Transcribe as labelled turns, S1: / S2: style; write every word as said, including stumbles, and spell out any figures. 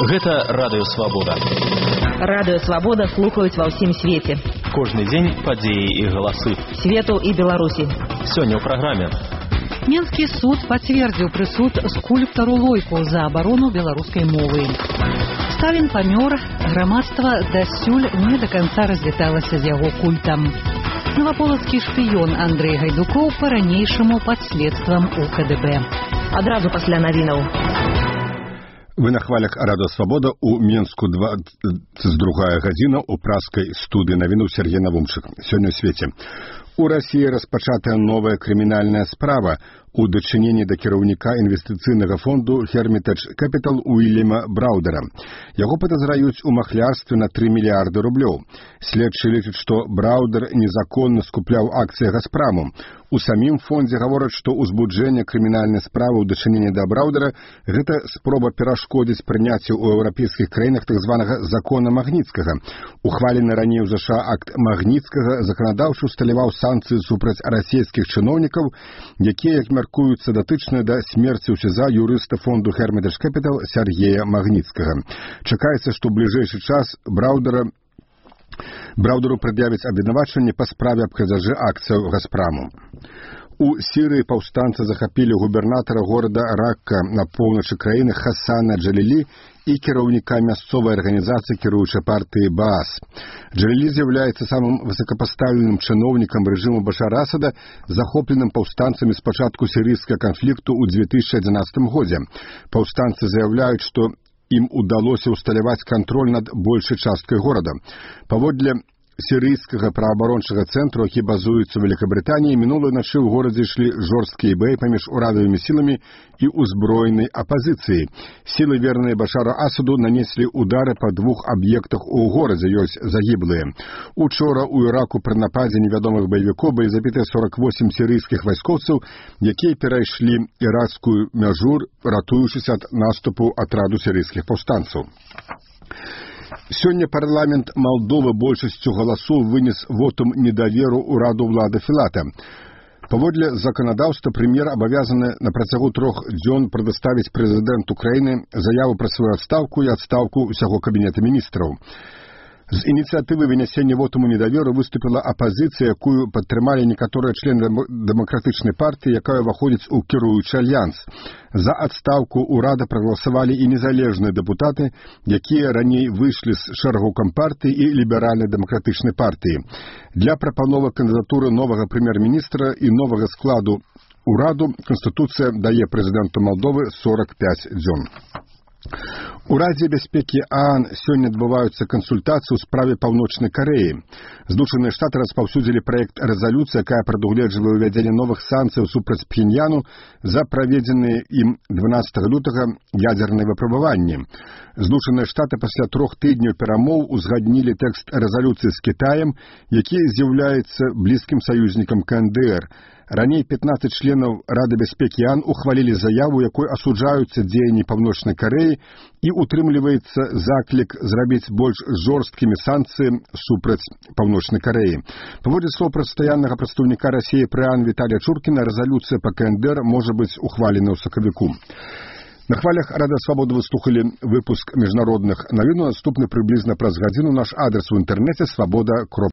S1: Гэта Радыё Свабода.
S2: Радыё Свабода слухаюць ва ўсім свеце.
S1: Кожны дзень падзеі і галасы
S2: Свету і Беларусі.
S1: Сёння ў праграме.
S3: Менскі суд пацвердзіў прысуд скульптару Лойку за абарону беларускай мовы. Сталін памёр, грамадства дасюль не да канца развіталася з яго культам. Новаполацкі шпіён Андрэй Гайдукоў па-ранейшаму пад следствам у ка дэ бэ.
S2: Адразу пасля навінаў.
S4: Вы на хвалях Радыё Свабода у Менску двадцать другая гадзіна у праскай студыі навіну Сергей Навумчык. Сёння ў свеце. У Расіі распачатая новая крымінальная справа у дачыненні да кіраўніка інвестыцыйнага фонду Hermitage Capital Уильяма Браудера. Яго падазраюць у махлярстве на тры мільярды рублёў. Следчы лічаць, што Браудер незаконна скупляў акцыі Газпраму. У самім фондзе гавораць, што ўзбуджэнне крымінальнай справы ў дачыненні да Браудера – гэта спроба перашкодзіць прыняццю ў еўрапейскіх краінах так званага закона Магніцкага. Ухвалены раней у ЗША акт Магніцкага заканадаўча усталяваў санкцыі супраць расійскіх чыноўнікаў, якія, як мяркуюцца, датычныя да смерці ў СІЗА юрыста фонду Hermitage Capital Сергея Магніцкага. Чакаецца, што ў бліжэйшы час Браудера Браудеру прад'явяць абвінавачванне па справе аб крадзяжы акцыяў Газпраму. У Сірыі паўстанцы захапілі губернатара горада Ракка на поўначы краіны Хасана Джалілі і кіраўніка мясцовай арганізацыі кіруючай партыі Баас. Джалілі з'яўляецца самым высокапастаўленым чыноўнікам рэжыму Башара Асада, захопленым паўстанцамі з пачатку сірыйскага канфлікту ў две тысячы адзінаццатым годзе. Паўстанцы заяўляюць, што ім удалося ўсталяваць кантроль над большай часткай горада. Паводле сірыйскага праабарончага цэнтру, які базуецца ў Великабрытаніі, мінулай начы ў горадзе ішлі жорсткія баі паміж урадавымі сіламі і ўзброенай апазіцыяй. Сілы, верныя Башару Асаду, нанеслі удары па двух аб'ектах у горадзе, ёсць загіблыя. Учора ў Іраку пры нападзе невядомых баевікоў былі забітыя сорок восемь сірыйскіх вайскоўцаў, якія перайшлі іракскую мяжу, ратуючыся ад наступу атраду сірыйскіх паўстанцаў. Сёння парламент Малдовы большасцю галасоў вынес вотум недаверу ўраду ўлады Філата. Паводле заканадаўства прэм'ер абавязаны на працягу трох дзён прадаставіць прэзідэнту краіны заяву пра сваю адстаўку і адстаўку ўсяго кабінета міністраў. З ініцыятывы вынясення вотуму недаверу выступіла апазіцыя, якую падтрымалі некаторыя члены дэмакратычнай партыі, якая ўваходзіць у кіруючы альянс. За адстаўку ўрада прагаласавалі і незалежныя дэпутаты, якія раней выйшлі з шэрагу кампартыі і ліберальна-дэмакратычнай партыі. Для прапановы кандыдатуры новага прэм'ер-міністра і новага складу ўраду Канстытуцыя дае прэзідэнту Малдовы сорок пяць дзён. У Радзе бяспекі ААН сёння адбываюцца кансультацыі ў справе Паўночнай Карэі. Злучаныя Штаты распаўсюдзілі праект рэзалюцыі, якая прадугледжвае ўвядзенне новых санкцыяў супраць Пхеньяну за праведзеныя ім дванаццатага лютага ядзерныя выпрабаванні. Злучаныя Штаты пасля трох тыдняў перамоў узгаднілі тэкст рэзалюцыі з Кітаем, які з'яўляецца блізкім саюзнікам ка эн дэ эр. Раней пятнадцать членаў Рады бяспекі ААН ухвалілі заяву, якой асуджаюцца дзеянні Паўночнай Карэі і утрымліваецца заклік зрабіць больш жорсткімі санкцыі супраць Паўночнай Карэі. Паводле слоў пастаяннага прадстаўніка Расіі пры ААН Віталія Чуркіна, рэзалюцыя па ка эн дэ эр можа быць ухвалена ў сакавіку. На хвалях Радыё Свабода вы слухалі выпуск міжнародных навін. Наступны прыблізна праз гадзіну. Наш адрес у інтэрнэце свабода кропка